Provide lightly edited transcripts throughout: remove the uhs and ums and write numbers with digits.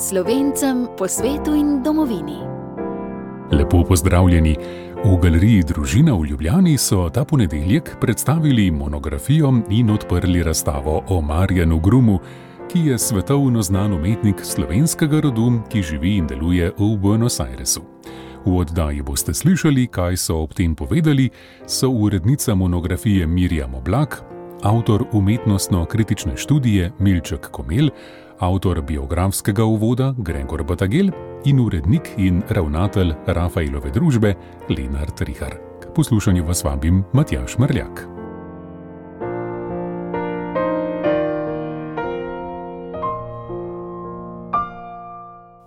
Slovencem po svetu in domovini. Lepo pozdravljeni. V galeriji Družina v Ljubljani so ta ponedeljek predstavili monografijo in odprli razstavo o Marjanu Grumu, ki je svetovno znan umetnik slovenskega rodu, ki živi in deluje v Buenos Airesu. V oddaji boste slišali, kaj so ob tem povedali, so urednica monografije Mirjam Oblak, avtor umetnostno-kritične študije Milček Komelj, avtor biografskega uvoda Gregor Batagel in urednik in ravnatelj Rafaelove družbe Lenart Rihar. K poslušanju vas vabim Matjaž Mrljak.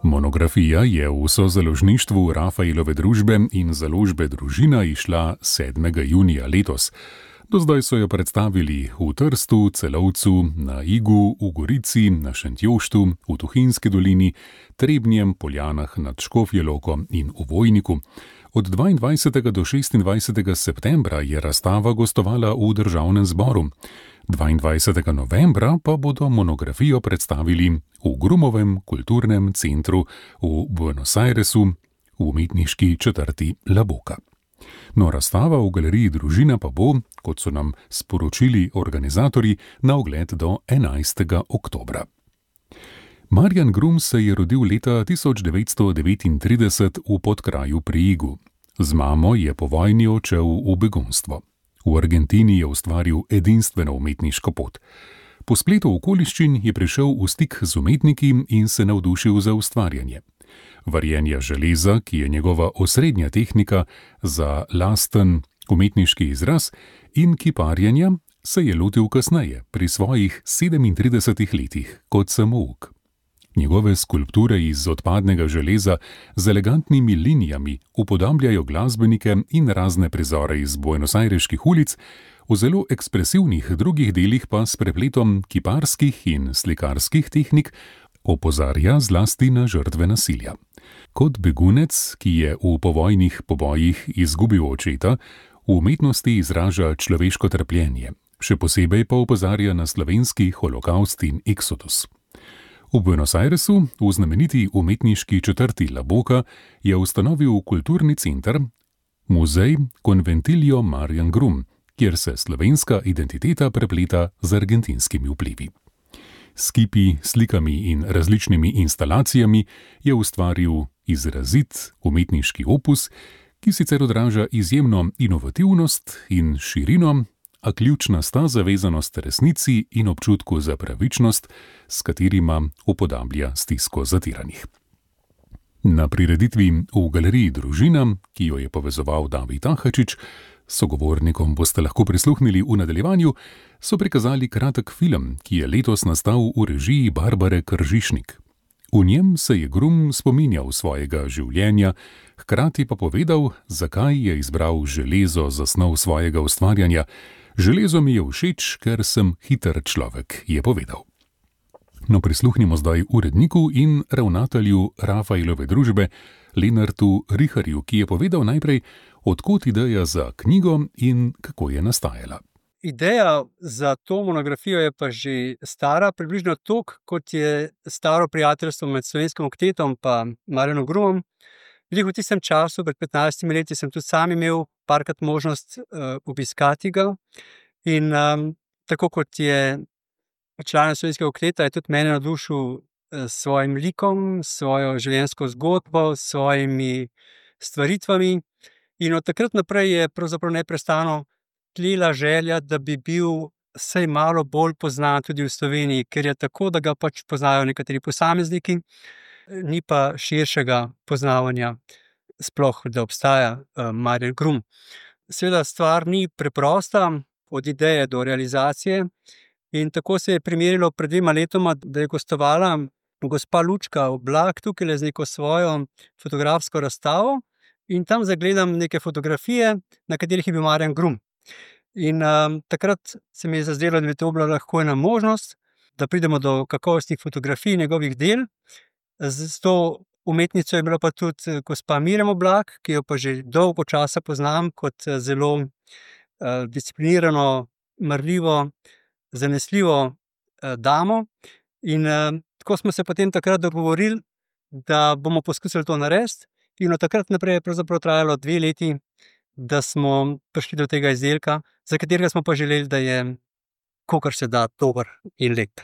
Monografija je v sozaložništvu Rafaelove družbe in založbe Družina izšla 7. junija letos. Do zdaj so jo predstavili v Trstu, Celovcu, na Igu, v Gorici, na Šentjoštu, v Tuhinjski dolini, Trebnjem, Poljanah nad Škofjo Loko in v Vojniku. Od 22. do 26. septembra je razstava gostovala v Državnem zboru. 22. novembra pa bodo monografijo predstavili v Grumovem kulturnem centru v Buenos Airesu v umetniški četrti La Boca. No, razstava v galeriji Družina pa bo, kot so nam sporočili organizatorji, na ogled do 11. oktobra. Marjan Grum se je rodil leta 1939 v Podkraju pri Igu. Z mamo je po vojni odšel v begunstvo. V Argentini je ustvaril edinstveno umetniško pot. Po spletu okoliščin je prišel v stik z umetniki in se navdušil za ustvarjanje. Varjenja železa, ki je njegova osrednja tehnika za lasten umetniški izraz, in kiparjenja se je lotil kasneje, pri svojih 37 letih, kot samouk. Njegove skulpture iz odpadnega železa z elegantnimi linijami upodabljajo glasbenike in razne prizore iz buenosajreških ulic, v zelo ekspresivnih drugih delih pa s prepletom kiparskih in slikarskih tehnik opozarja zlasti na žrtve nasilja. Kot begunec, ki je v povojnih pobojih izgubil očeta, v umetnosti izraža človeško trpljenje, še posebej pa opozarja na slovenski holokavst in eksodus. V Buenos Airesu, v znameniti umetniški četrti La Boca, je ustanovil kulturni center, muzej Conventillo Marjan Grum, kjer se slovenska identiteta prepleta z argentinskimi vplivi. S kipi, slikami in različnimi instalacijami je ustvaril izrazit umetniški opus, ki sicer odraža izjemno inovativnost in širino, a ključna sta zavezanost resnici in občutku za pravičnost, s katerima upodablja stisko zatiranih. Na prireditvi v galeriji Družina, ki jo je povezoval David Ahačič, sogovornikom boste lahko prisluhnili v nadaljevanju, so prikazali kratek film, ki je letos nastal v režiji Barbare Kržišnik. V njem se je Grum spominjal svojega življenja, hkrati pa povedal, zakaj je izbral železo za snov svojega ustvarjanja. Železo mi je všeč, ker sem hiter človek, je povedal. No, prisluhnimo zdaj uredniku in ravnatelju Rafaelove družbe Lenartu Riharju, ki je povedal najprej, odkot ideja za knjigo in kako je nastajala. Ideja za to monografijo je pa že stara, približno toliko, kot je staro prijateljstvo med Slovenskim oktetom pa Marjanom Grumom. V tistem času, pred 15 leti, sem tudi sam imel parkrat možnost obiskati ga. In tako kot je član Slovenskega okteta, je tudi mene navdušil s svojim likom, svojo življenjsko zgodbo, s svojimi stvaritvami. In od takrat naprej je pravzaprav neprestano tlela želja, da bi bil vsaj malo bolj poznan tudi v Sloveniji, ker je tako, da ga pač poznajo nekateri posamezniki, ni pa širšega poznavanja sploh, da obstaja Marjan Grum. Seveda stvar ni preprosta, od ideje do realizacije, in tako se je primerilo pred 2 letoma, da je gostovala gospa Lučka Oblak tukaj z neko svojo fotografsko razstavo in tam zagledam neke fotografije, na katerih je bil Marjan Grum. In takrat se mi je zazdelo, da bi to bila lahko ena možnost, da pridemo do kakovostnih fotografij njegovih del. Z to umetnico je bila pa tudi gospa Mirjam Oblak, ki jo pa že dolgo časa poznam kot zelo disciplinirano, marljivo, zanesljivo damo. In tako smo se potem takrat dogovorili, da bomo poskusili to narediti. In od takrat naprej je pravzaprav trajalo 2 leti, da smo prišli do tega izdelka, za katerega smo pa želeli, da je kolikor se da dober in lep.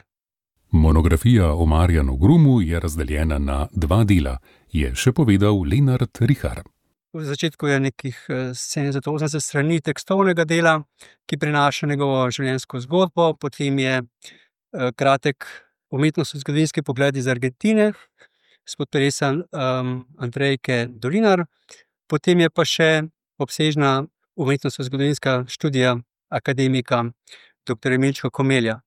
Monografija o Marjanu Grumu je razdeljena na 2 dela, je še povedal Lenart Rihar. V začetku je nekih 70-80 strani tekstovnega dela, ki prinaša njegovo življenjsko zgodbo, potem je kratek umetnostno-zgodovinski pogled iz Argentine, spod peresa Andrejke Dolinar, potem je pa še obsežna umetnostno-zgodovinska študija akademika dr. Milčka Komelja.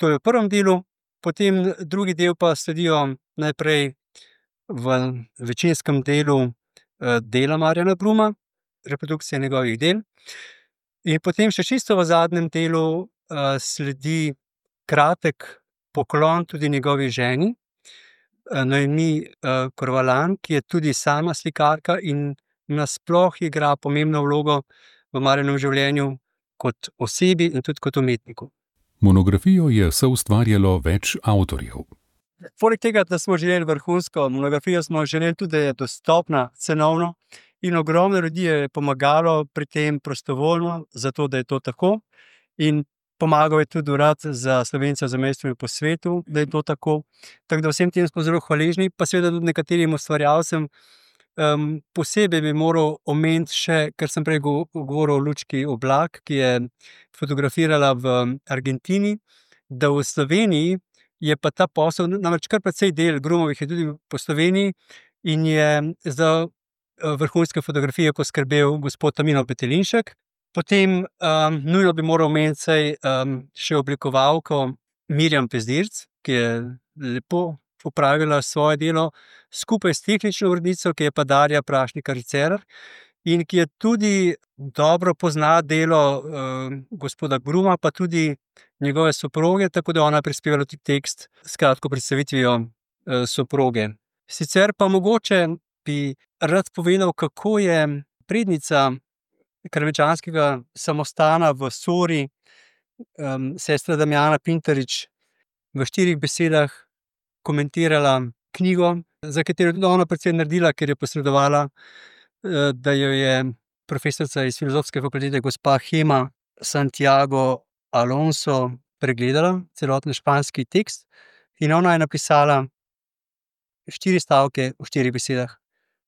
To je v prvem delu, potem drugi del pa sledijo najprej v večinskem delu dela Marjana Gruma, reprodukcije njegovih del. In potem še čisto v zadnjem delu sledi kratek poklon tudi njegovi ženi, Noemi Korvalan, ki je tudi sama slikarka in nasploh igra pomembno vlogo v Marjanovem življenju kot osebi in tudi kot umetniku. Monografijo je soustvarjalo več avtorjev. Poleg tega, da smo želeli vrhunsko monografijo, smo želeli tudi, da je dostopna cenovno in ogromno ljudi je pomagalo pri tem prostovoljno, zato da je to tako. In pomagal je tudi Urad za Slovence v zamejstvu in po svetu, da je to tako. Tako da vsem tem smo zelo hvaležni, pa seveda tudi nekaterim ustvarjalcem. Posebej bi moral omeniti še, ker sem prej govoril o Lučki Oblak, ki je fotografirala v Argentini, da v Sloveniji je pa ta posel, namreč kar precej del Grumovih je tudi po Sloveniji in je za vrhunske fotografije poskrbel gospod Tamino Petelinšek. Potem nujno bi moral omeniti še oblikovalko Mirjam Pezdirc, ki je lepo opravila svoje delo skupaj s tehnično urednico, ki je pa Darja Prašnikar-Cerar in ki je tudi dobro pozna delo gospoda Gruma, pa tudi njegove soproge, tako da ona prispevala tudi tekst s kratko predstavitvijo soproge. Sicer pa mogoče bi rad povedal, kako je prednica Karamečanskega samostana v Sori, sestra Damjana Pintarič, v 4 besedah komentirala knjigo, za katero je tudi ona precej naredila, ker je posredovala, da jo je profesorica iz Filozofske fakultete gospa Hema Santiago Alonso pregledala, celoten španski tekst, in ona je napisala 4 stavke v 4 besedah.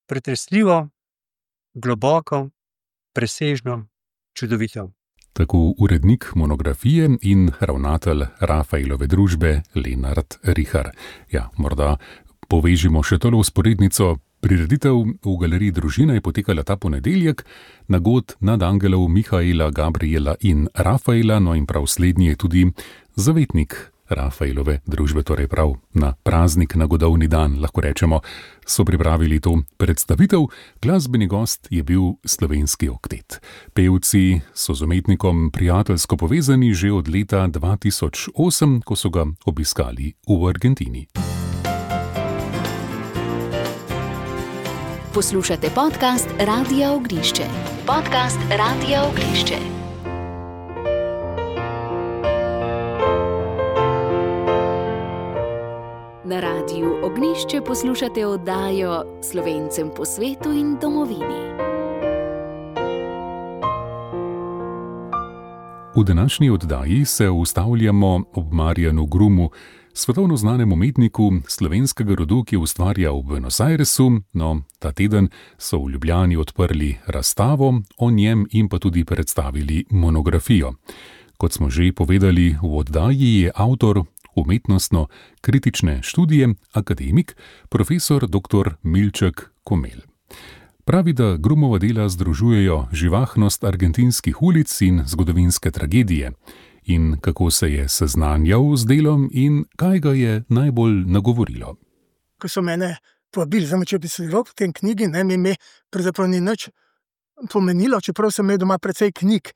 Pretresljivo, globoko, presežno, čudovito. Tako urednik monografije in ravnatelj Rafaelove družbe Lenart Rihar. Ja, morda povežimo še tole vzporednico. Prireditev v Galeriji Družina je potekala ta ponedeljek na god nadangelov Mihaela, Gabriela in Rafaela, no in prav slednji je tudi zavetnik Rafaelove družbe, torej prav na praznik, na godovni dan, lahko rečemo, so pripravili to predstavitev. Glasbeni gost je bil slovenski oktet. Pevci so z umetnikom prijateljsko povezani že od leta 2008, ko so ga obiskali v Argentini. Poslušate podcast Radia Ognjišče. Podcast Radia Ognjišče. Na Radiu Ognjišče poslušate oddajo Slovencem po svetu in domovini. V današnji oddaji se ustavljamo ob Marjanu Grumu, svetovno znanem umetniku slovenskega rodu, ki ustvarja v Buenos Airesu. No, ta teden so v Ljubljani odprli razstavo o njem in pa tudi predstavili monografijo. Kot smo že povedali v oddaji, je avtor umetnostno-kritične študije akademik profesor dr. Milček Komelj. Pravi, da Grumova dela združujejo živahnost argentinskih ulic in zgodovinske tragedije. In kako se je seznanjal z delom in kaj ga je najbolj nagovorilo. Ko so mene povabili za besedilo v tem knjigi, mi ime pravzaprav ni nič pomenilo, čeprav sem imel doma precej knjig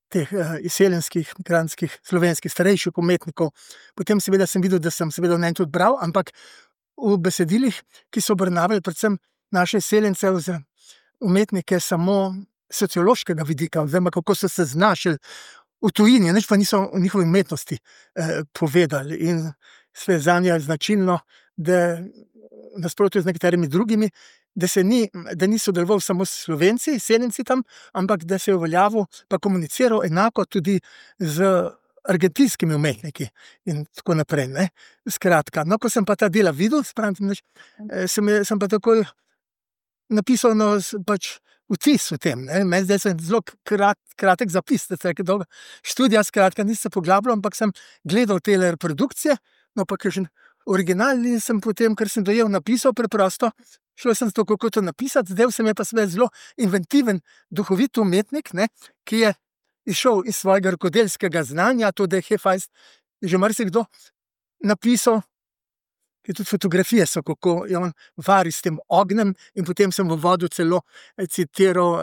teh izseljenskih, migrantskih, slovenskih, starejših umetnikov. Potem seveda sem videl, da sem seveda v njem tudi bral, ampak v besedilih, ki so obravnavali predvsem naše izseljence, umetnike samo sociološkega vidika, oziroma kako so se znašli v tujini, nič pa niso o njihovi umetnosti povedali. In sve zanje je značilno, da nasprotno z nekaterimi drugimi, da ni sodeloval samo s Slovenci, seljenci tam, ampak da se je uveljavil pa komuniciral enako tudi z argentinskimi umetniki in tako naprej, ne. Skratka, no, ko sem pa ta dela videl, sem pa takoj napisal pač vtis o tem, ne. Meni zdaj sem zelo kratek zapis, dolga študija, skratka, nisem se poglabljal, ampak sem gledal tele reprodukcije, no, pa kakšen original in sem potem, ker sem dojel, napisal preprosto, šel sem zato, kako to napisati, zdaj se mi je pa seveda zelo inventiven, duhovit umetnik, ne, ki je izšel iz svojega rokodelskega znanja, to, da je Hefajst že marsikdo napisal, ki tudi fotografije so, kako je on vari s tem ognjem, in potem sem v uvodu celo citiral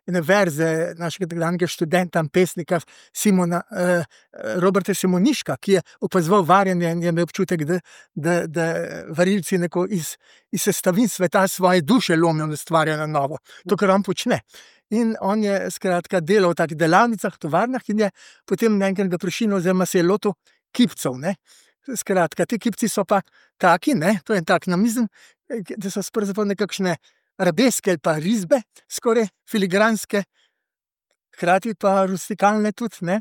ene verze našega nekdanjega študenta, pesnika Roberta Simoniška, ki je opazoval varjenje in je imel občutek, da varilci iz sestavin sveta svoje duše lomijo in ustvarjajo na novo. To, kar on počne. In on je skratka delal v takih delavnicah, tovarnah in je potem naenkrat ga prešinil oziroma se je lotil kipcev, ne. Skratka, ti kipci so pa taki, ne, to je tak namizen, da so pravzaprav nekakšne arabeske ali pa risbe, skoraj filigranske, hkrati pa rustikalne tudi, ne,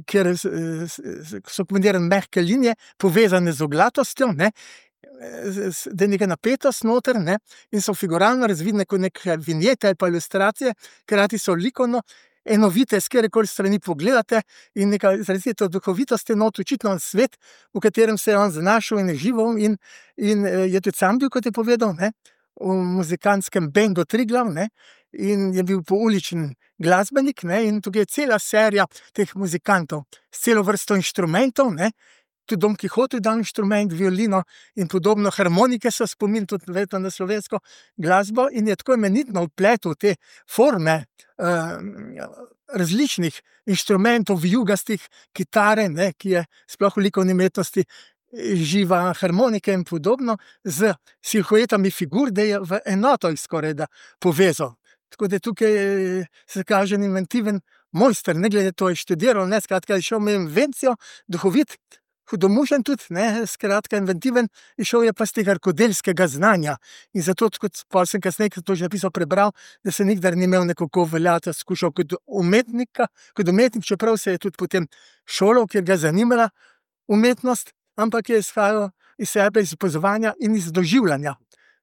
kjer so kombinirane mehke linije, povezane z oglatostjo, ne, da je neka napetost noter, ne, in so figuralno razvidne kot neke vinjete ali pa ilustracije, hkrati so likovno enovite, s katerekoli strani pogledate, in neka izrazita duhovitost je not, očitno svet, v katerem se je on znašel in je živel in je tudi sam bil, kot je povedal, ne, v muzikantskem bendu Triglav, ne, in je bil pouličen glasbenik, ne, in tukaj je cela serija teh muzikantov s celo vrsto inštrumentov, ne, tudi Don Kihote je dal inštrument, violino in podobno, harmonike so spomin tudi verjetno na slovensko glasbo, in je tako imenitno vpletel te forme različnih inštrumentov, vijugastih, kitare, ne, ki je sploh v likovni umetnosti živa, harmonike in podobno, z silhuetami figur, da je v enoto jih skorajda povezal. Tako da tukaj se kaže inventiven mojster, ne glede to je študiral, ne, skratka, je šel med invencijo, duhovit, hudomušen tudi, ne, skratka, inventiven, išel je pa z tega rokodelskega znanja. In zato, kot pol sem kasneje, to že napisal, prebral, da se nikdar ni imel nekako uveljaviti, skušal kot umetnik, čeprav se je tudi potem šolal, ker ga je zanimala umetnost, ampak je izhajal iz sebe, iz opazovanja in iz doživljanja.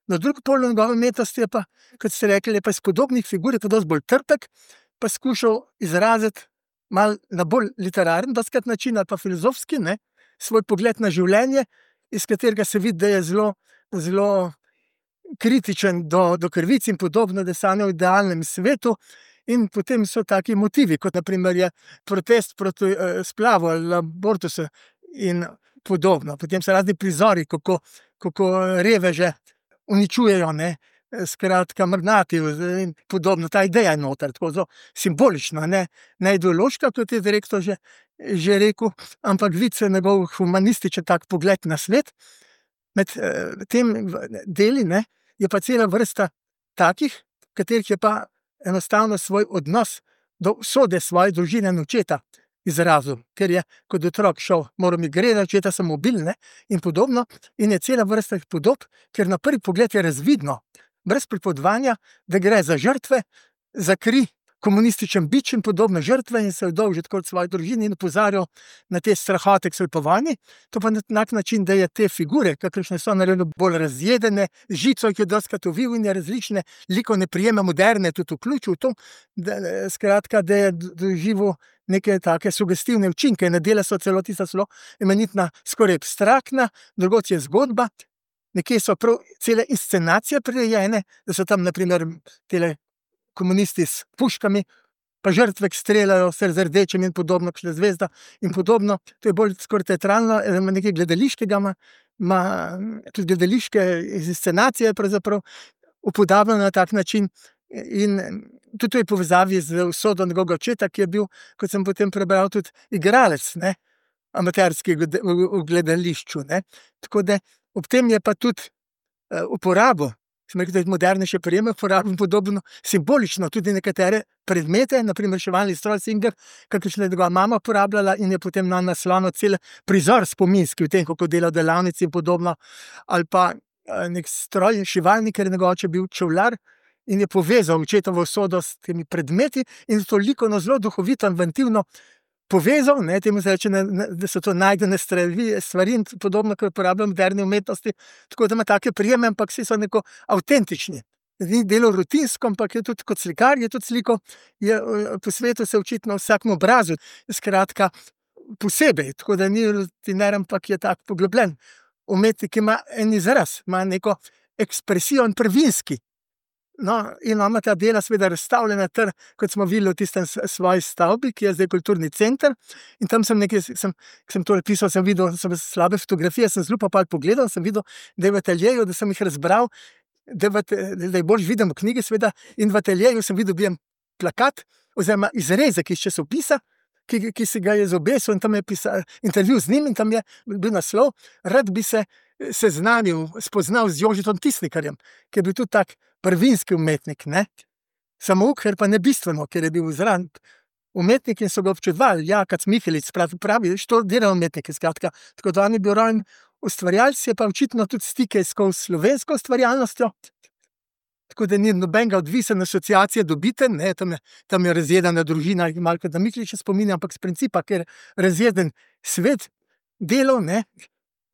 No, drug pol njegove umetnosti je pa, kot ste rekli, je pa iz podobnih figur, je pa dosti bolj trpek, pa skušal izraziti malo na bolj literaren dostikrat način ali pa filozofski, ne, svoj pogled na življenje, iz katerega se vidi, da je zelo, zelo kritičen do krvic in podobno, da sanja v idealnem svetu, in potem so taki motivi, kot na primer je protest proti splavu ali abortusu in podobno. Potem so razni prizori, kako reveže uničujejo, ne, skratka, magnati in podobno. Ta ideja je noter, tako zelo simbolična, ne ideološka, kot je direktor že rekel, ampak vidi se njegov humanističen tak pogled na svet. Med tem deli, ne, je pa cela vrsta takih, v katerih je pa enostavno svoj odnos do usode svoje družine in očeta izrazil, ker je kot otrok šel, moral mi gledati, očeta sem ubil, ne, in podobno, in je cela vrsta podob, ker na prvi pogled je razvidno, brez pripovedovanja, da gre za žrtve, za kri, komunističen bič in podobne žrtve, in se je dolžil tako svoji družini in opozarjal na te strahote, ki so povani. To pa na tak način, da je te figure, kakršne so naredile bolj razjedene, žico jih je dostikrat ovil in je različne likovne prijeme moderne tudi vključil v to, da, skratka, da je doživel neke take sugestivne učinke. Na dela so celo tista zelo imenitna, skoraj abstraktna, drugot je zgodba, nekje so prav cele inscenacije prirejene, da so tam na primer tele komunisti s puškami, pa žrtve, ki streljajo vse z rdečim in podobno, kakšna zvezda in podobno. To je bolj skoraj teatralno, nekaj gledališkega ima tudi gledališke inscenacije pravzaprav upodabljeno na tak način, in tudi to je povezavi z usodo njegovega očeta, ki je bil, kot sem potem prebral, tudi igralec, ne, amaterski v gledališču, ne. Tako da ob tem je pa tudi uporabo sem rekel, da je modernejše prijeme, uporabljam podobno simbolično tudi nekatere predmete, naprimer reševalni stroj Singer, kakršne je njegova mama uporabljala in je potem na naslonu cel prizor spominski v tem, kako dela v delavnici in podobno, ali pa nek stroj, šivalnik, ker je njegov oče bil čevljar in je povezal očetovo usodo s temi predmeti in toliko zelo duhovito, inventivno povezal, ne, temu se reče, da so to najdene stvari in podobno, kar uporabljajo v moderni umetnosti, tako da ima take prijeme, ampak vsi so neko avtentični. Ni delo rutinsko, ampak je tudi kot slikar, je tudi sliko, je po svetu se očitno vsakem obrazu, skratka, posebej, tako da ni rutiner, ampak je tak poglobljen. Umetnik ima en izraz, ima neko ekspresijo in prvinski. No, in ima ta dela seveda razstavljena ter, kot smo videli v tistem svoji stavbi, ki je zdaj kulturni center, in tam sem nekaj, sem to pisal, sem videl, sem slabe fotografije, sem zelo pa pogledal, sem videl, da je v ateljeju, da sem jih razbral, da je bolj vidim v knjigi seveda, in v ateljeju sem videl, dobijem plakat, oziroma izrezek iz časopisa, ki si ga je zobesil, in tam je pisal intervju z njim, in tam je bil naslov, rad bi se seznanil, spoznal z Jožetom Tisnikarjem, ki je bil tudi tak prvinski umetnik, ne. Samouk, ker pa ne bistveno, ker je bil zraven umetnik in so ga občudovali, Jakac Mihelič, pravi, što delajo umetniki, skratka, tako da on je bil rojen ustvarjalec, je pa očitno tudi stike iskal s slovensko ustvarjalnostjo, tako da ni nobenega odvisen asociacije dobiten, ne, tam je razjedena družina, malo kot da Miheliča spominja, ampak z principa, ker razjeden svet delov, ne,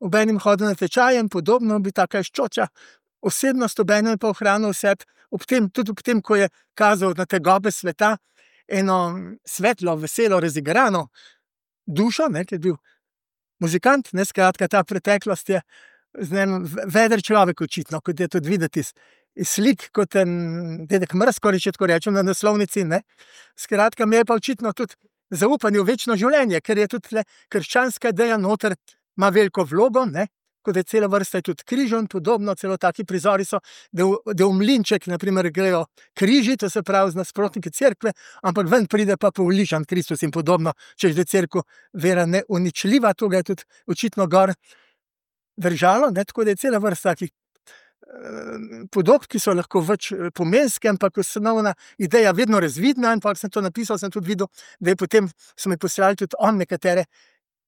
obenem hodil na tečaje in podobno, bi taka ščoča osebnost, obenem je pa ohranil vseb, tudi ob tem, ko je kazal na tegobe sveta, eno svetlo, veselo, razigrano dušo, ne, ki je bil muzikant, ne, skratka, ta preteklost je veder človek očitno, kot je tudi videti iz slik, kot en dedek Mraz, če tako rečem, na naslovnici, ne. Skratka, mi je pa očitno tudi zaupanje v večno življenje, ker je tudi krščanska ideja noter, ima veliko vlogo, ne, kot je cela vrsta tudi križov in podobno, celo taki prizori so, da v mlinček, na primer, grejo križi, to se pravi z nasprotniki cerkve, ampak ven pride pa povližan Kristus in podobno, če je cerkev vera neuničljiva, to ga je tudi očitno gor držalo, ne, tako da je cela vrsta takih podob, ki so lahko več pomenske, ampak osnovna ideja vedno razvidna, in pa sem to napisal, sem tudi videl, da je potem, so mi poslali tudi on nekatere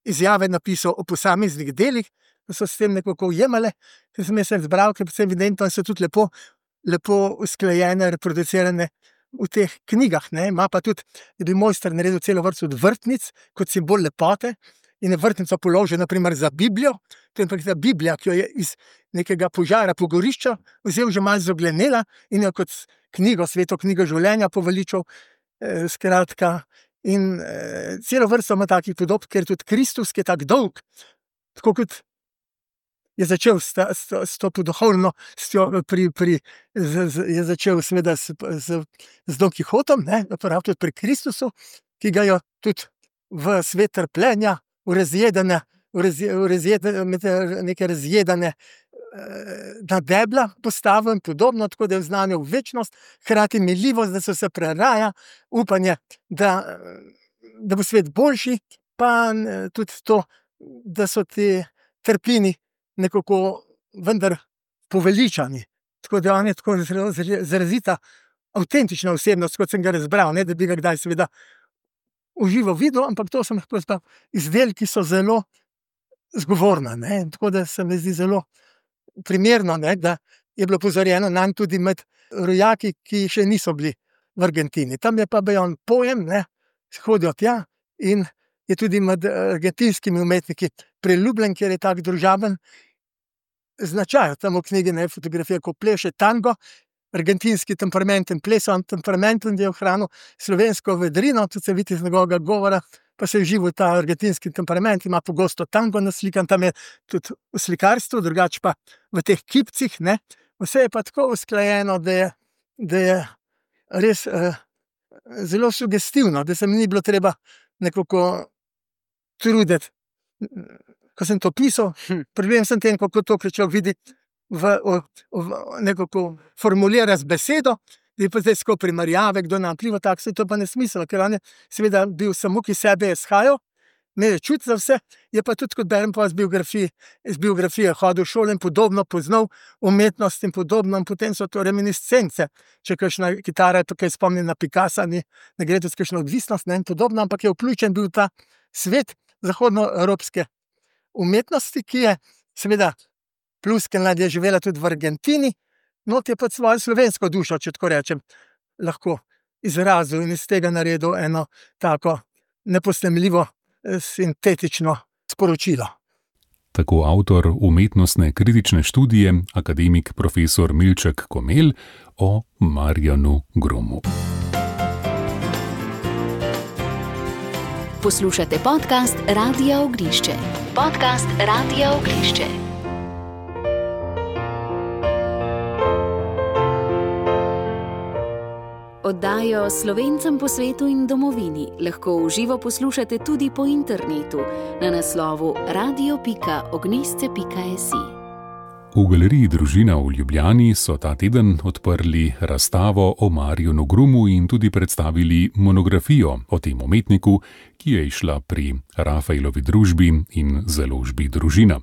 izjave napisal o posameznih delih, da so s tem nekako ujemale, ker sem jaz zbral, ker je evidentno, in so tudi lepo usklajene, reproducirane v teh knjigah, ne, ima pa tudi, je bil mojster naredil celo vrsto od vrtnic, kot simbol lepote, in je vrtnico položil, na primer, za Biblijo, to je pa ta Biblija, ki jo je iz nekega požara, pogorišča, vzel že malo zoglenela in jo kot knjigo, sveto knjigo življenja poveličal, skratka, in celo vrsto ima takih podob, ker tudi Kristus, ki je tak dolg, tako kot je začel s to duhovnostjo, je začel seveda z Don Kihotom, ne, prav tudi pri Kristusu, ki ga jo tudi v svet trpljenja, v neke razjedene na debla postavil in podobno, tako da je vznanil večnost, hkrati miljivost, da se vse preraja, upanje, da bo svet boljši, pa tudi to, da so ti trpini nekako vendar poveličani. Tako da on je tako izrazita, avtentična osebnost, kot sem ga razbral, ne da bi ga kdaj seveda v živo videl, ampak to so izdelki, ki so zelo zgovorna, ne, tako da se mi zdi zelo primerno, ne, da je bilo opozorjeno nanj tudi med rojaki, ki še niso bili v Argentini. Tam je pa on pojem, ne, hodijo tja in je tudi med argentinskimi umetniki priljubljen, ker je tak družaben značaj. Tam v knjigi, ne, fotografija, ko pleše tango, argentinski temperament in plesan temperament, in je ohranil slovensko vedrino, tudi se vidi iz njegovega govora, pa se je živel ta argentinski temperament, ima pogosto tango naslikan, tam je tudi v slikarstvu, drugače pa v teh kipcih, ne. Vse je pa tako usklajeno, da je res zelo sugestivno, da se mi ni bilo treba nekako truditi. Ko sem to pisal, problem sem tem, kako to človek vidi nekako formulira z besedo, da je pa zdajsko primerjave, kdo nam pliva, tako se to pa ne smisel, ker on je seveda bil samo, ki sebe je shajal, imel je čut za vse, je pa tudi, kot berem pa iz biografije, hodil v šolo in podobno, poznal umetnost in podobno, in potem so to reminiscence. Če kakšna kitara tukaj spomni na Picassa, ne gre tudi kakšna odvisnost, ne, in podobno, ampak je vključen bil ta svet zahodnoevropske umetnosti, ki je seveda Pluskenland je živela tudi v Argentini, not je pa svojo slovensko dušo, če tako rečem, lahko izrazil in iz tega naredil eno tako neposnemljivo, sintetično sporočilo. Tako avtor umetnostne kritične študije, akademik profesor Milček Komelj o Marjanu Grumu. Poslušate podcast Radia Ognišče. Podcast Radia Ognišče. Oddajo Slovencem po svetu in domovini lahko v živo poslušate tudi po internetu na naslovu radio.ognisce.si. V galeriji Družina v Ljubljani so ta teden odprli razstavo o Marjanu Grumu in tudi predstavili monografijo o tem umetniku, ki je izšla pri Rafaelovi družbi in založbi Družina.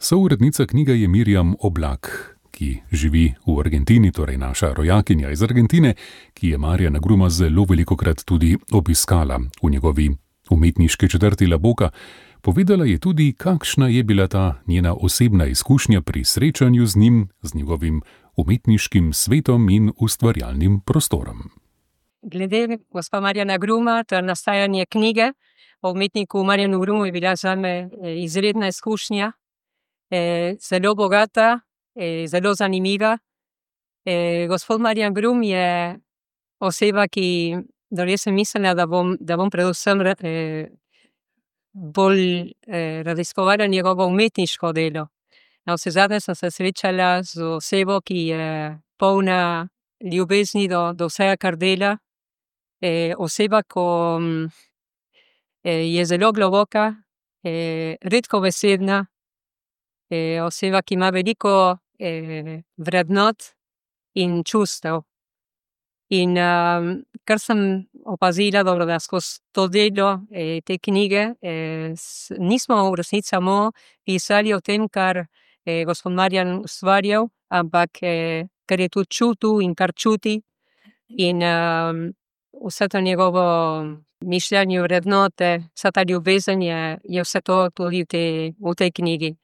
Sourednica knjige je Mirjam Oblak, ki živi v Argentini, torej naša rojakinja iz Argentine, ki je Marjana Gruma zelo velikokrat tudi obiskala v njegovi umetniški četrti La Boca. Povedala je tudi, kakšna je bila ta njena osebna izkušnja pri srečanju z njim, z njegovim umetniškim svetom in ustvarjalnim prostorom. Glede gospa Marjana Gruma, to nastajanje knjige o umetniku Marjanu Grumu je bila zame izredna izkušnja, zelo bogata, zelo zanimiva. Gospod Marjan Grum je oseba, ki, jaz sem mislila, da bom predvsem bolj raziskovala njegovo umetniško delo. Navsezadnje sem se srečala z osebo, ki je polna ljubezni do vsega, kar dela. Oseba, ki je zelo globoka, redkobesedna, oseba, ki ima veliko vrednot in čustev. In kar sem opazila, da skozi to delo te knjige nismo v resnici samo pisali o tem, kar gospod Marjan ustvarjal, ampak kar je tudi čutil in kar čuti. In vse to njegovo mišljenje, vrednote, vsa ta ljubezen je vse to tudi v tej knjigi.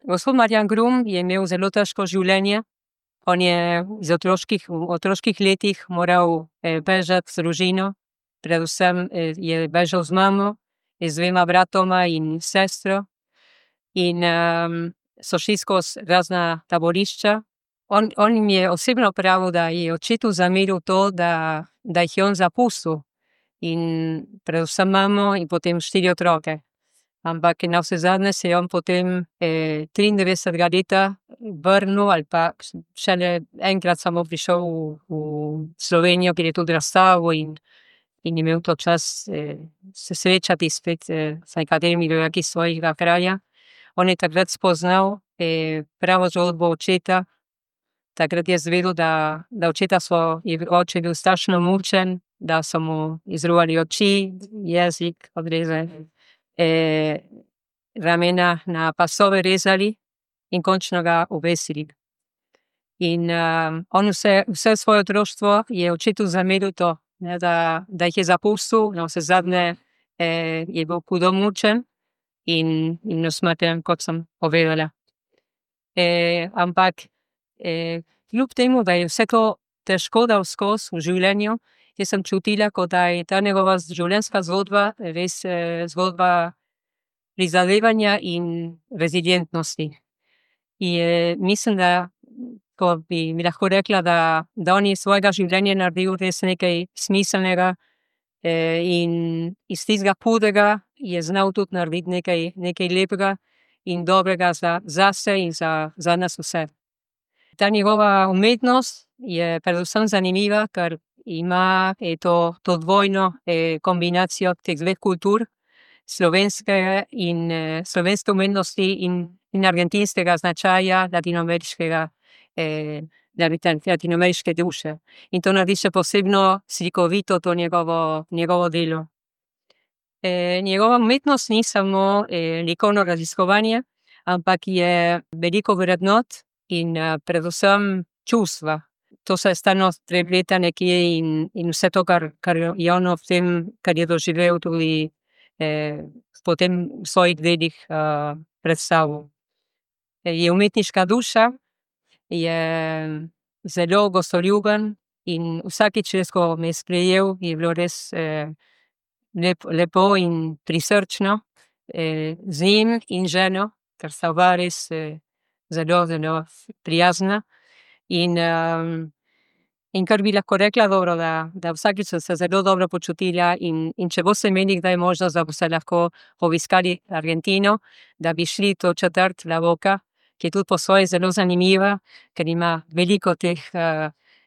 Gospod Marjan Grum je imel zelo težko življenje. On je v otroških letih moral bežati z družino, predvsem je bežal z mamo, z dvema bratoma in sestro. In so šli skozi razna taborišča. On jim je osebno pravil, da je očetu zameril to, da jih je on zapustil. In predvsem mamo in potem 4 otroke. Ampak navsezadnje se je on potem 93 leta vrnil, ali pa šele enkrat samo prišel v Slovenijo, kjer je tudi razstavil in imel to čas se srečati spet s nekaterimi rojaki svojega kraja. On je takrat spoznal pravo zgodbo očeta. Takrat je izvedel, da oče je bil strašno mučen, da so mu izruvali oči, jezik odrezali, ramena na pasove rezali in končno ga obesili. In on vse svoje otroštvo je očetu zameril to, da jih je zapustil, navsezadnje je bil hudo mučen in usmrtjen, kot sem povedala. Ampak kljub temu, da je vse to težko dal skozi v življenju, jaz sem čutila, kot da je ta njegova življenjska zgodba res zgodba prizadevanja in rezilientnosti. In mislim, da ko bi mi lahko rekla, da on je svojega življenja naredil res nekaj smiselnega in iz tistega hudega je znal tudi narediti nekaj lepega in dobrega zase in za nas vse. Ta njegova umetnost je predvsem zanimiva, ker ima to dvojno kombinacijo teh dveh kultur, slovenske umetnosti in argentinskega značaja latinoameriške duše. In to naredi še posebno slikovito to njegovo delo. Njegova umetnost ni samo likovno raziskovanje, ampak je veliko vrednot in predvsem čustva. To se stalno prepleta nekje in vse to, kar je on v tem, kar je doživel, tudi potem v svojih delih predstavil. Je umetniška duša, je zelo gostoljuben in vsakič, ko me je sprejel, je bilo res lepo in prisrčno, z njim in ženo, ker sta oba res zelo, zelo prijazna. In kar bi lahko rekla, dobro, da vsakič sem se zelo dobro počutila in če boste imeli kdaj možnost, da boste lahko obiskali Argentino, da bi šli to četrt La Boca, ki je tudi po svoje zelo zanimiva, ker ima veliko teh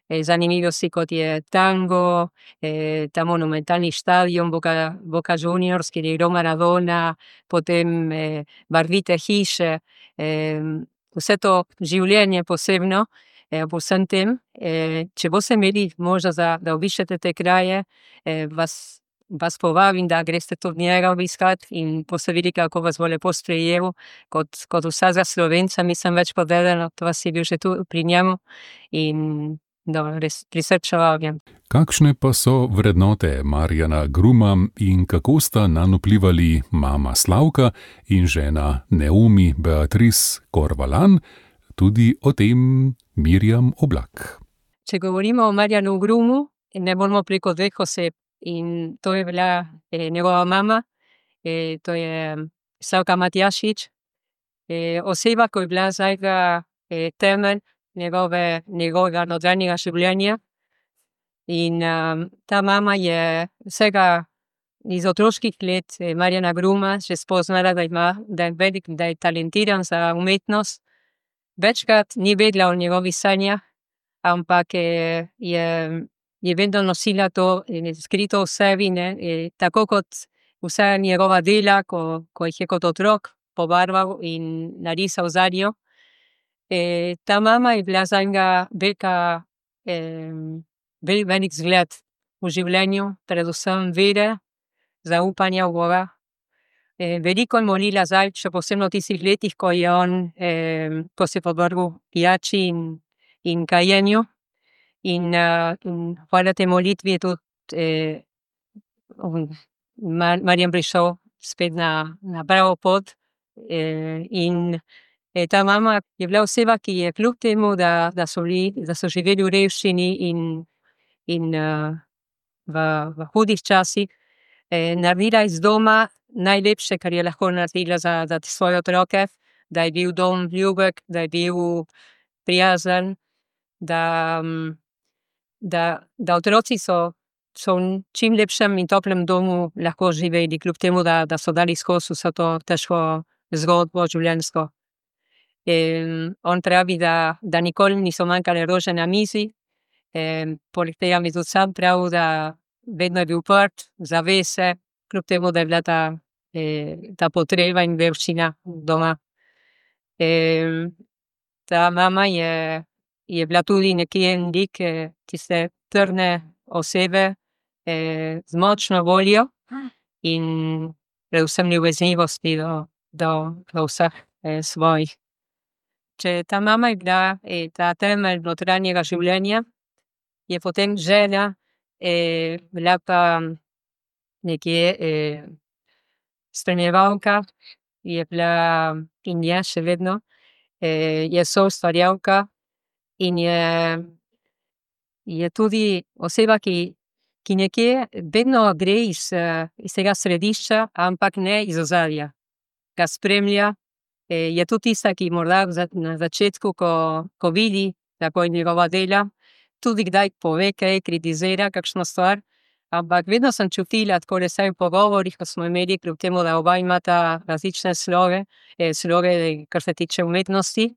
zanimivosti, kot je tango, ta monumentalni štadion Boca Juniors, kjer je igral Maradona, potem barvite hiše, vse to življenje posebno, po vsem tem. Če boste imeli možnost, da obiščete te kraje, vas povabim, da greste tudi njega obiskat in boste videli, kako vas bo lepo sprejel, kot vsakega Slovenca, mislim več povedano, to vas je bil že tu pri njemu in res prisrčno vabim. Kakšne pa so vrednote Marjana Gruma in kako sta nanj vplivali mama Slavka in žena Neumi Beatrice Corvalan? Tudi o tem Mirjam Oblak. Če govorimo o Marjanu Grumu, ne moramo preko dveh oseb. In to je bila njegova mama, to je Slavka Matjašič, oseba, ko je bila zdaj temelj njegovega notranjega življenja. In ta mama je vsega iz otroških let Marjana Gruma že spoznala, da je velik, da je talentiran za umetnost. Večkrat ni vedela o njegovih sanjah, ampak je vedno nosila to skrito v sebi, tako kot vsa njegova dela, ko jih je kot otrok pobarval in narisal zanjo. Ta mama je bila zanjega velik zgled v življenju, predvsem vere, zaupanja v Boga. Veliko je molila zdaj, še posebno v tistih letih, ko je on, ko se je podvrgel pijači in kajenju. In hvala tej molitvi je tudi Marjan prišel spet na pravo pot. In ta mama je bila oseba, ki je kljub temu, da so živeli v revščini in v hudih časih, naredila iz doma najlepše, kar je lahko naredila za svoje otroke, da je bil dom ljubek, da je bil prijazen, da otroci so v čim lepšem in toplem domu lahko živeli, kljub temu, da so dali skozi vso to težko zgodbo življenjsko. On pravi, da nikoli niso manjkale rože na mizi, poleg tega mi tudi sam pravi, da vedno je bil odprt, zavese, kljub temu, da je bila ta potreba in revščina doma. Ta mama je bila tudi nekje en lik tiste trdne osebe, z močno voljo in predvsem ljubeznivosti do vseh svojih. Če ta mama je bila ta temelj notranjega življenja, je potem žena bila pa nekje spremljevalka, je bila in je še vedno, je soustvarjalka in je tudi oseba, ki nekje vedno gre iz tega središča, ampak ne iz ozadja. Ga spremlja, je tudi tista, ki morda na začetku, ko vidi, kako je njegova dela, tudi kdaj pove kaj, kritizira kakšno stvar, ampak vedno sem čutila, tako da vsaj v pogovorih, ko smo imeli, kljub temu, da oba imata različne sloge, kar se tiče umetnosti,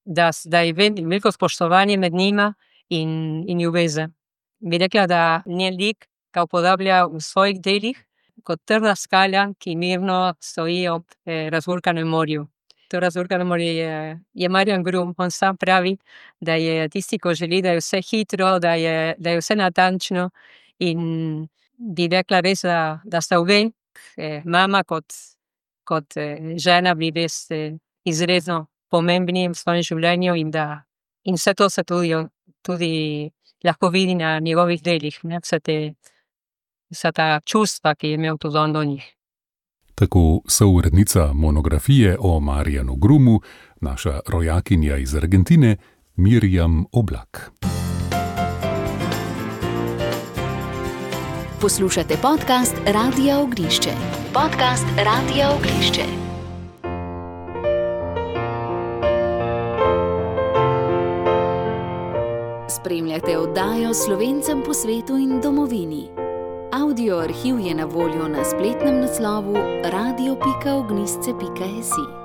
da je veliko spoštovanje med njima in ljubezen. Bi rekla, da njen lik ga uporablja v svojih delih kot trda skala, ki mirno stoji ob razburkanem morju. To razburkano morje je Marjan Grum. On sam pravi, da je tisti, ko želi, da je vse hitro, da je vse natančno in bi rekla res, da sta obe, mama kot žena bili res izredno pomembni v svojem življenju in vse to se tudi lahko vidi na njegovih delih, ne, vsa ta čustva, ki je imel tudi on do njih. Tako sourednica monografije o Marjanu Grumu, naša rojakinja iz Argentine, Mirjam Oblak. Poslušate podcast Radia Ognišče. Podcast Radia Ognišče. Spremljate oddajo Slovencem po svetu in domovini. Audio arhiv je na voljo na spletnem naslovu radio.ognisce.si.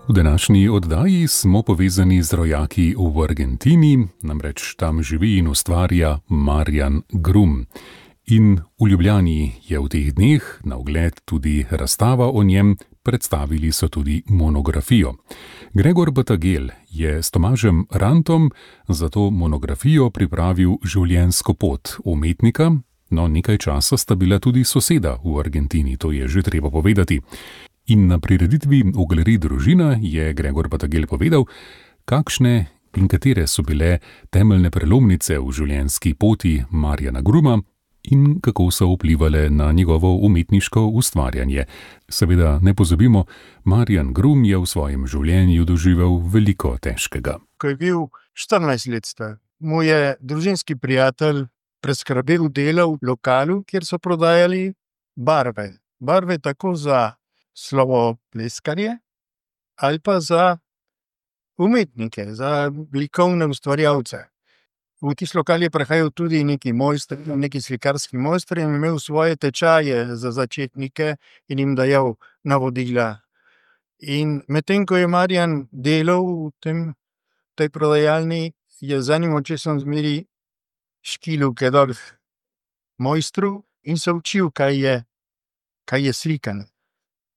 V današnji oddaji smo povezani z rojaki v Argentini, namreč tam živi in ustvarja Marjan Grum. In v Ljubljani je v teh dneh na ogled tudi razstava o njem, predstavili so tudi monografijo. Gregor Batagel je s Tomažem Rantom za to monografijo pripravil življenjsko pot umetnika, no nekaj časa sta bila tudi soseda v Argentini, to je že treba povedati. In na prireditvi v galeriji Družina je Gregor Batagel povedal, kakšne in katere so bile temeljne prelomnice v življenjski poti Marjana Gruma in kako so vplivale na njegovo umetniško ustvarjanje. Seveda ne pozabimo, Marjan Grum je v svojem življenju doživel veliko težkega. Ko je bil 14 let star, mu je družinski prijatelj preskrbel delo v lokalu, kjer so prodajali barve. Barve tako za slovopleskarje ali pa za umetnike, za likovne ustvarjalce. V tisti lokal je prihajal tudi neki slikarski mojstri in imel svoje tečaje za začetnike in jim dajal navodila. In medtem, ko je Marjan delal v tej prodajalni, je z enim očesom zmeri škilil kedor mojstru in se učil, kaj je slikanje.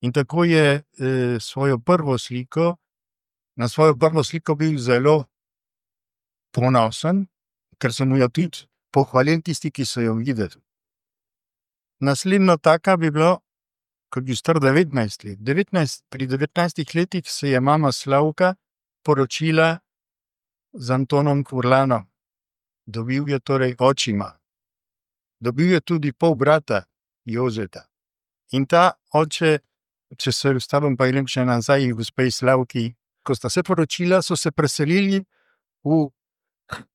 In tako je na svojo prvo sliko bil zelo ponosen, ker so mu jo tudi pohvalili tisti, ki so jo videli. Naslednjo taka bi bilo, ko bi star 19 let. Pri 19 letih se je mama Slavka poročila z Antonom Furlanom. Dobil je torej očima. Dobil je tudi pol brata Jožeta. In ta oče, če se vstavim pa grem še nazaj v gospej Slavki, ko sta se poročila, so se preselili v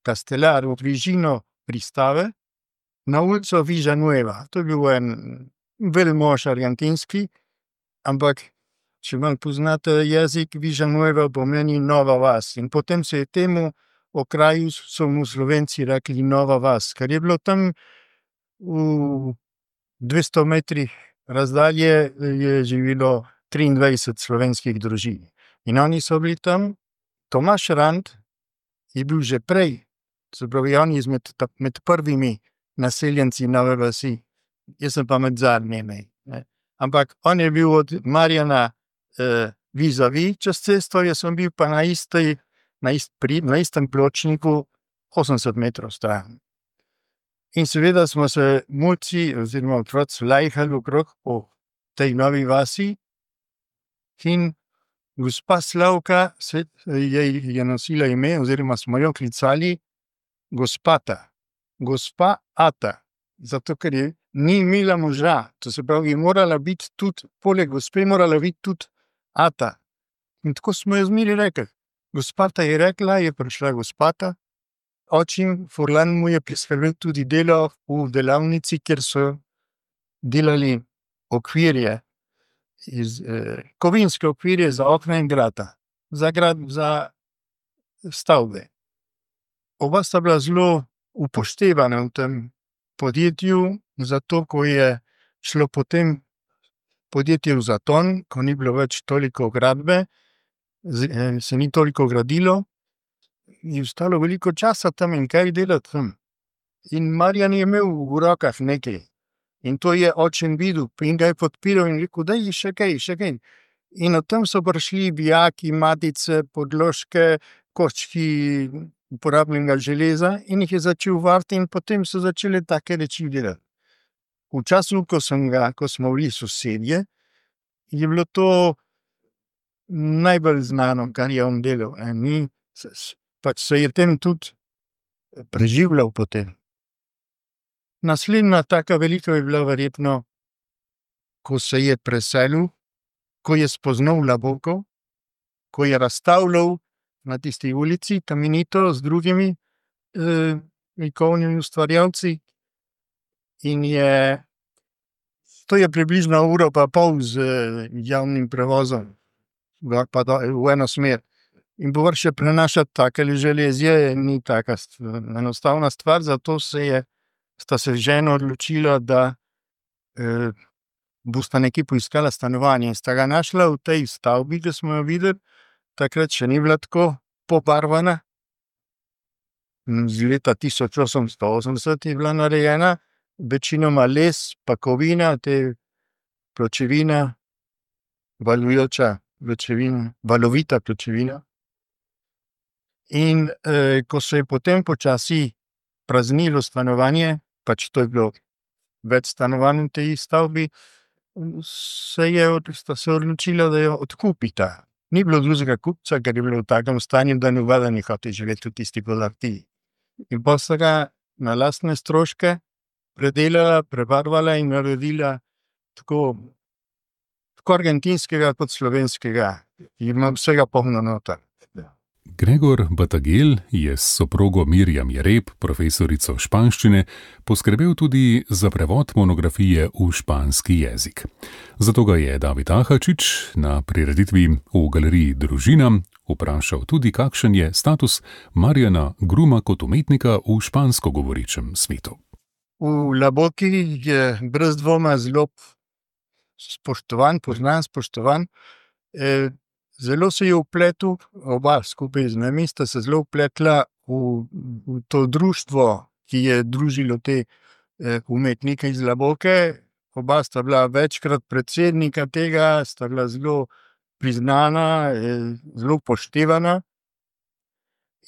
Castelar, v bližino pristave, na ulico Villanueva. To je bil en velmož argentinski, ampak če malo poznate jezik, Villanueva pomeni nova vas. In potem se je temu okraju, so mu Slovenci rekli Nova vas, ker je bilo tam v 200 metrih razdalje je živelo 23 slovenskih družin. In oni so bili tam. Tomaž Rant je bil že prej, se pravi, on je med prvimi naseljenci Nove vasi, jaz sem pa med zadnjimi. Ampak on je bil od Marjana vis-a-vis čez cesto, jaz sem bil pa na istem pločniku 80 metrov stran. In seveda smo se mulci oziroma otroci lajhali okrog po tej Novi vasi in gospa Slavka je nosila ime oziroma smo jo klicali gospata. Gospa Ata, zato ker je ni imela moža, to se pravi, je morala biti tudi, poleg gospe morala biti tudi Ata. In tako smo jo zmeri rekli. Gospata je rekla, je prišla gospata, očim Furlan mu je priskrbel tudi delo v delavnici, kjer so delali okvirje, kovinske okvirje za okna in vrata, za stavbe. Oba sta bila zelo upoštevana v tem podjetju, zato ko je šlo potem podjetje v zaton, ko ni bilo več toliko gradbe, se ni toliko gradilo, je ostalo veliko časa tam in kaj delati tam. In Marjan je imel v rokah nekaj. In to je očem videl in ga je podpiral in rekel, da je še kaj. In od tam so prišli bijaki, matice, podložke, koščki uporabljenega železa in jih je začel variti in potem so začeli take reči delati. v času, ko smo bili sosedje, je bilo to najbolj znano, kar je on delal. Pač se je tem tudi preživljal potem. Naslednja taka velika je bila verjetno, ko se je preselil, ko je spoznal Labokov, ko je razstavljal na tisti ulici Kamenito z drugimi likovnimi ustvarjalci. In to je približno 1,5 ure z javnim prevozom, pa v eno smer. In povrh še prenašati take železje ni taka enostavna stvar, zato sta se z ženo odločila, da bosta nekje poiskala stanovanje. In sta ga našla v tej stavbi, ki smo jo videli, takrat še ni bila tako pobarvana. Z leta 1880 je bila narejena, večinoma les, pa kovina, pločevina, valovita pločevina. In ko se je potem počasi praznilo stanovanje, pač to je bilo več stanovanj v tej stavbi, sta se odločila, da jo odkupita. Ni bilo drugega kupca, ker je bilo v takem stanju, da nobeden ni hotel živeti v tisti podrtiji. In potem sta ga na lastne stroške predelala, prebarvala in naredila tako argentinskega kot slovenskega. In imam vsega polno noter. Gregor Batagel je s soprogo Mirjam Jereb, profesorico španščine, poskrbel tudi za prevod monografije v španski jezik. Zato ga je David Ahačič na prireditvi v galeriji Družina vprašal tudi, kakšen je status Marjana Gruma kot umetnika v špansko govoričem svetu. V Labokih je brez dvoma zelo spoštovan. Zelo se je vpletel, oba skupaj z nami sta se zelo vpletla v to društvo, ki je družilo te umetnike iz Laboke. Oba sta bila večkrat predsednika tega, sta bila zelo priznana, zelo upoštevana.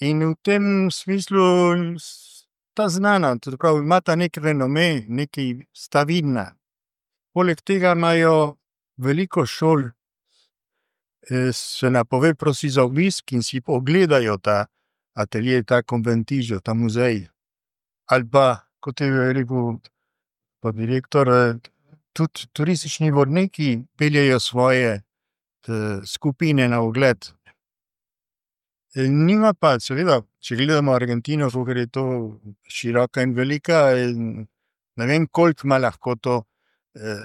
In v tem smislu sta znana, pravi, imata nek renome, nekaj sta vidna. Poleg tega imajo veliko šol, se napove prosi za obisk in si pogledajo ta atelje, ta konventižo, ta muzej. Ali pa, kot je rekel direktor, tudi turistični vodniki peljejo svoje skupine na ogled. Nima pa, seveda, če gledamo Argentino, ker je to široka in velika, ne vem, koliko ima lahko to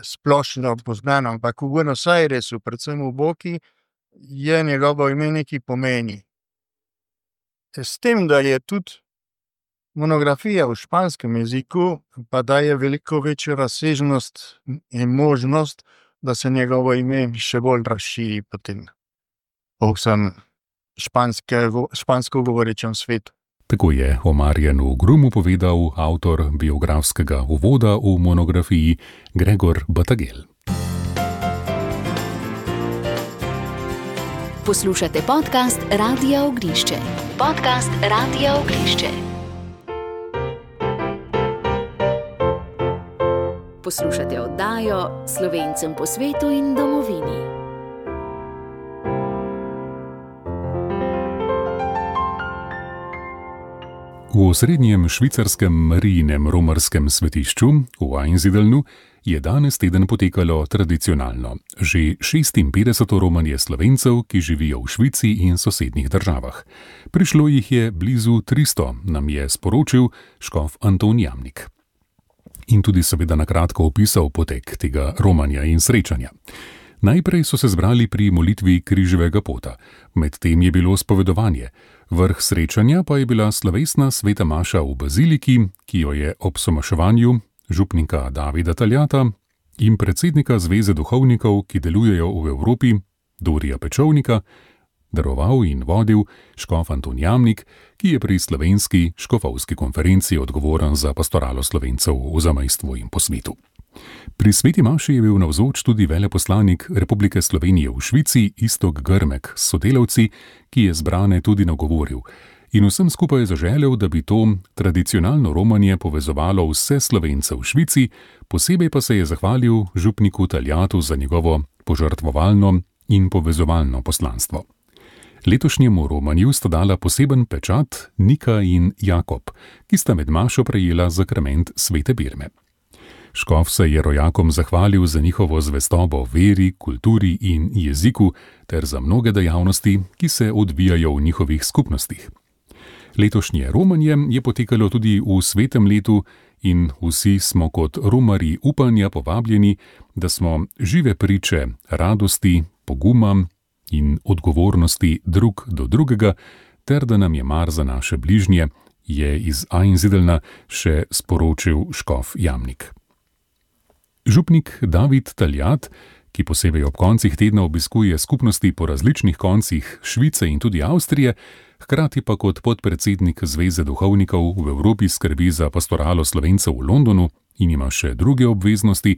splošno poznano, ampak v Buenos Airesu, predvsem v Boki, je njegovo ime nekaj pomeni. S tem, da je tudi monografija v španskem jeziku, pa daje veliko večjo razsežnost in možnost, da se njegovo ime še bolj razširi potem po vsem špansko govorečem svetu. Tako je o Marjanu Grumu povedal avtor biografskega uvoda v monografiji Gregor Batagel. Poslušate podcast Radia Ognišče. Podcast Radia Ognišče. Poslušate oddajo Slovencem po svetu in domovini. V osrednjem švicarskem Marijinem romarskem svetišču v Einsiedelnu je danes teden potekalo tradicionalno. Že 56. romanje Slovencev, ki živijo v Švici in sosednjih državah. Prišlo jih je blizu 300, nam je sporočil škof Anton Jamnik. In tudi seveda na kratko opisal potek tega romanja in srečanja. Najprej so se zbrali pri molitvi križevega pota, medtem je bilo spovedovanje. Vrh srečanja pa je bila slovesna sveta maša v baziliki, ki jo je ob somaševanju župnika Davida Taljata in predsednika Zveze duhovnikov, ki delujejo v Evropi, Dorija Pečovnika, daroval in vodil škof Anton Jamnik, ki je pri slovenski škofovski konferenci odgovoren za pastoralo Slovencev v zamejstvu in po svetu. Pri sveti maši je bil navzoč tudi veleposlanik Republike Slovenije v Švici Iztok Grmek s sodelavci, ki je zbrane tudi nagovoril in vsem skupaj zaželel, da bi to tradicionalno romanje povezovalo vse Slovence v Švici, posebej pa se je zahvalil župniku Taljatu za njegovo požrtvovalno in povezovalno poslanstvo. Letošnjemu romanju sta dala poseben pečat Nika in Jakob, ki sta med mašo prejela zakrament svete birme. Škof se je rojakom zahvalil za njihovo zvestobo veri, kulturi in jeziku ter za mnoge dejavnosti, ki se odvijajo v njihovih skupnostih. Letošnje romanje je potekalo tudi v svetem letu in vsi smo kot romarji upanja povabljeni, da smo žive priče radosti, poguma in odgovornosti drug do drugega, ter da nam je mar za naše bližnje, je iz Einsidelna še sporočil škof Jamnik. Župnik David Taljat, ki posebej ob koncih tedna obiskuje skupnosti po različnih koncih Švice in tudi Avstrije, hkrati pa kot podpredsednik Zveze duhovnikov v Evropi skrbi za pastoralo Slovencev v Londonu in ima še druge obveznosti,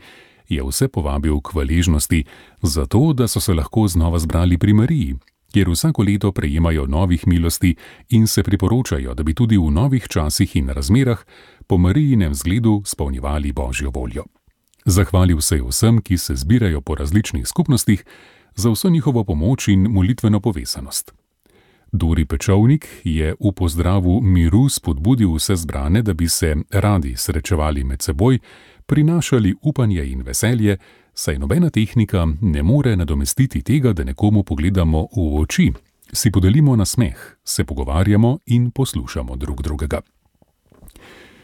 je vse povabil k hvaležnosti za to, da so se lahko znova zbrali pri Mariji, kjer vsako leto prejemajo novih milosti in se priporočajo, da bi tudi v novih časih in razmerah po Marijinem zgledu spolnjevali Božjo voljo. Zahvalil se je vsem, ki se zbirajo po različnih skupnostih, za vso njihovo pomoč in molitveno povezanost. Dori Pečovnik je v pozdravu miru spodbudil vse zbrane, da bi se radi srečevali med seboj, prinašali upanje in veselje, saj nobena tehnika ne more nadomestiti tega, da nekomu pogledamo v oči, si podelimo nasmeh, se pogovarjamo in poslušamo drug drugega.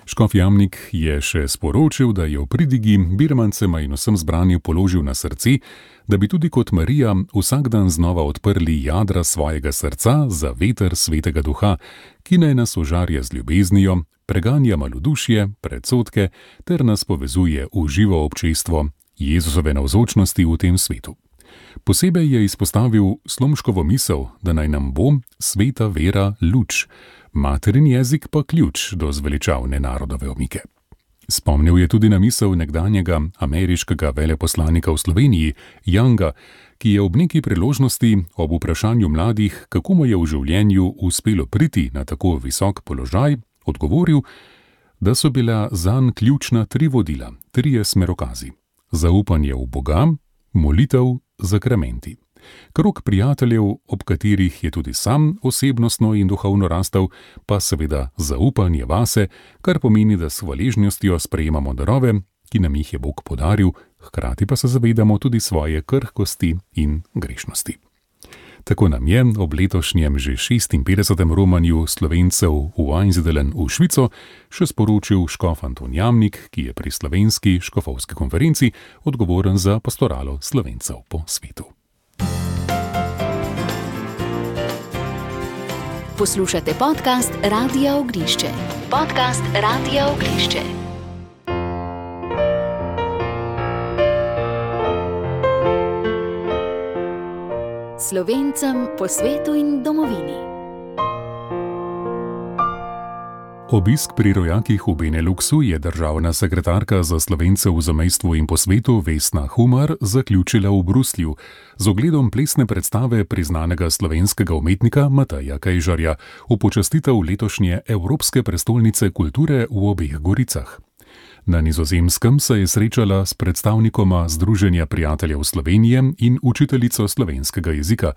Škof Jamnik je še sporočil, da je v pridigi birmancema in vsem zbranju položil na srce, da bi tudi kot Marija vsak dan znova odprli jadra svojega srca za veter svetega duha, ki naj nas ožarja z ljubeznijo, preganja malodušje, predsodke ter nas povezuje v živo občestvo Jezusove navzočnosti v tem svetu. Posebej je izpostavil Slomškovo misel, da naj nam bo sveta vera luč, materin jezik pa ključ do zveličavne narodove omike. Spomnil je tudi na misel nekdanjega ameriškega veleposlanika v Sloveniji, Younga, ki je ob neki priložnosti ob vprašanju mladih, kako mu je v življenju uspelo priti na tako visok položaj, odgovoril, da so bila zanj ključna 3 vodila, 3 smerokazi: zaupanje v Boga, molitev, zakramenti. Krog prijateljev, ob katerih je tudi sam osebnostno in duhovno rastel, pa seveda zaupanje vase, kar pomeni, da s hvaležnostjo sprejemamo darove, ki nam jih je Bog podaril, hkrati pa se zavedamo tudi svoje krhkosti in grešnosti. Tako nam je ob letošnjem že 56. romanju Slovencev v Einsiedeln v Švico še sporočil škof Anton Jamnik, ki je pri slovenski škofovski konferenci odgovoren za pastoralo Slovencev po svetu. Poslušate podcast Radia Ognišče. Podcast Radia Ognišče. Slovencem po svetu in domovini. Obisk pri rojakih v Beneluxu je državna sekretarka za Slovence v zamejstvu in po svetu Vesna Humar zaključila v Bruslju z ogledom plesne predstave priznanega slovenskega umetnika Mateja Kejžarja v počastitev letošnje Evropske prestolnice kulture v obeh Goricah. Na Nizozemskem se je srečala s predstavnikoma Združenja prijateljev Slovenije in učiteljico slovenskega jezika.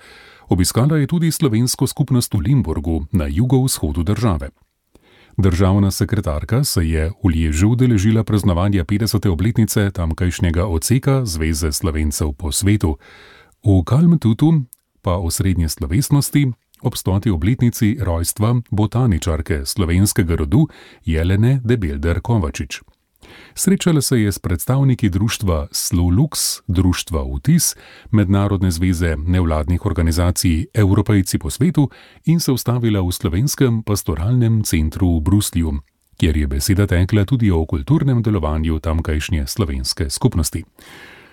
Obiskala je tudi slovensko skupnost v Limburgu na jugovzhodu države. Državna sekretarka se je v Liežu udeležila praznovanja 50. obletnice tamkajšnjega odseka Zveze Slovencev po svetu. V Kalmtutu pa osrednje slovesnosti ob 100. obletnici rojstva botaničarke slovenskega rodu Jelene Debelder Kovačič. Srečala se je s predstavniki društva Slulux, društva Vtis, Mednarodne zveze nevladnih organizacij Evropejci po svetu in se ustavila v Slovenskem pastoralnem centru v Bruslju, kjer je beseda tekla tudi o kulturnem delovanju tamkajšnje slovenske skupnosti.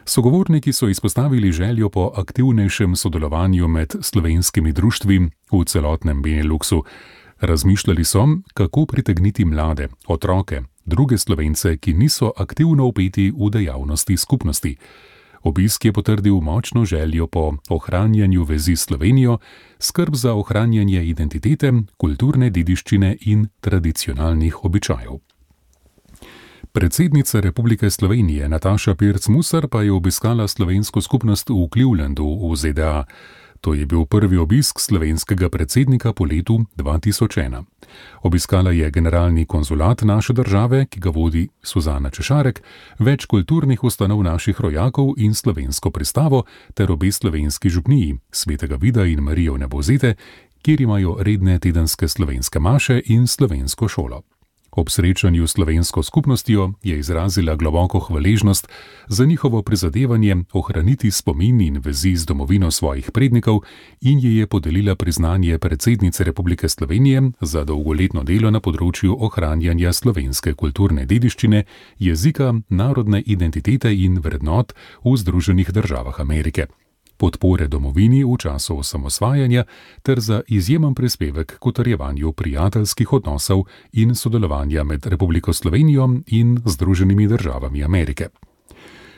Sogovorniki so izpostavili željo po aktivnejšem sodelovanju med slovenskimi društvi v celotnem Beneluxu. Razmišljali so, kako pritegniti mlade, otroke, druge Slovence, ki niso aktivno vpeti v dejavnosti skupnosti. Obisk je potrdil močno željo po ohranjanju vezi s Slovenijo, skrb za ohranjanje identitete, kulturne dediščine in tradicionalnih običajev. Predsednica Republike Slovenije Nataša Pirc Musar pa je obiskala slovensko skupnost v Clevelandu v ZDA. To je bil prvi obisk slovenskega predsednika po letu 2001. Obiskala je generalni konzulat naše države, ki ga vodi Suzana Češarek, več kulturnih ustanov naših rojakov in slovensko pristavo ter obe slovenski župniji, Svetega Vida in Marijo Nebozete, kjer imajo redne tedenske slovenske maše in slovensko šolo. Ob srečanju s slovensko skupnostjo je izrazila globoko hvaležnost za njihovo prizadevanje ohraniti spomin in vezi z domovino svojih prednikov in ji je podelila priznanje predsednice Republike Slovenije za dolgoletno delo na področju ohranjanja slovenske kulturne dediščine, jezika, narodne identitete in vrednot v Združenih državah Amerike, podpore domovini v času osamosvajanja ter za izjemen prispevek k utrjevanju prijateljskih odnosov in sodelovanja med Republiko Slovenijo in Združenimi državami Amerike.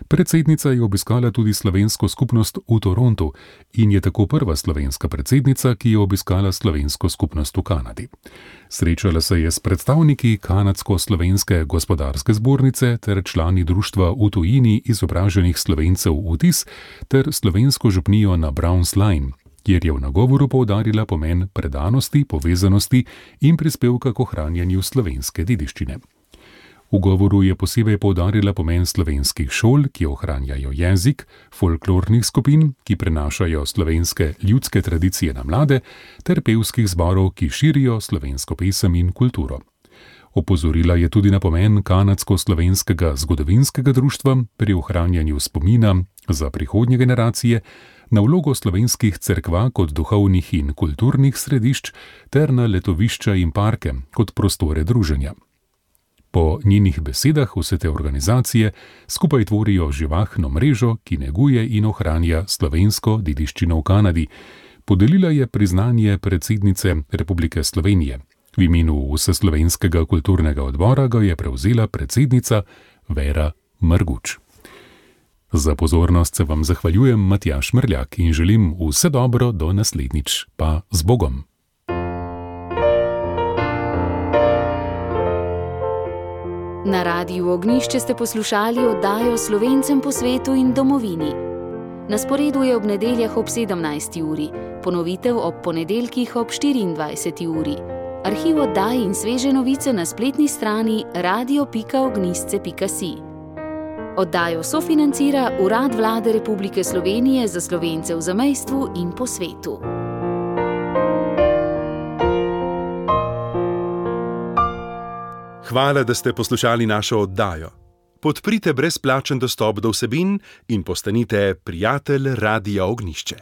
Predsednica je obiskala tudi slovensko skupnost v Torontu in je tako prva slovenska predsednica, ki je obiskala slovensko skupnost v Kanadi. Srečala se je s predstavniki Kanadsko-slovenske gospodarske zbornice ter člani društva v tujini izobraženih Slovencev UTIS ter slovensko župnijo na Browns Line, kjer je v nagovoru poudarila pomen predanosti, povezanosti in prispevka k ohranjanju slovenske dediščine. V govoru je posebej poudarila pomen slovenskih šol, ki ohranjajo jezik, folklornih skupin, ki prenašajo slovenske ljudske tradicije na mlade, ter pevskih zborov, ki širijo slovensko pesem in kulturo. Opozorila je tudi na pomen Kanadsko-slovenskega zgodovinskega društva pri ohranjanju spomina za prihodnje generacije, na vlogo slovenskih cerkva kot duhovnih in kulturnih središč ter na letovišča in parke kot prostore druženja. Po njenih besedah vse te organizacije skupaj tvorijo živahno mrežo, ki neguje in ohranja slovensko dediščino v Kanadi. Podelila je priznanje predsednice Republike Slovenije. V imenu Vseslovenskega kulturnega odbora ga je prevzela predsednica Vera Marguč. Za pozornost se vam zahvaljujem, Matjaž Mrljak, in želim vse dobro do naslednjič. Pa z Bogom! Na Radiu Ognjišče ste poslušali oddajo Slovencem po svetu in domovini. Na sporedu je ob nedeljah ob 17. uri, ponovitev ob ponedeljkih ob 24. uri. Arhiv oddaj in sveže novice na spletni strani radio.ognjisce.si. Oddajo sofinancira Urad Vlade Republike Slovenije za Slovence v zamejstvu in po svetu. Hvala, da ste poslušali našo oddajo. Podprite brezplačen dostop do vsebin in postanite prijatelj Radia Ognjišče.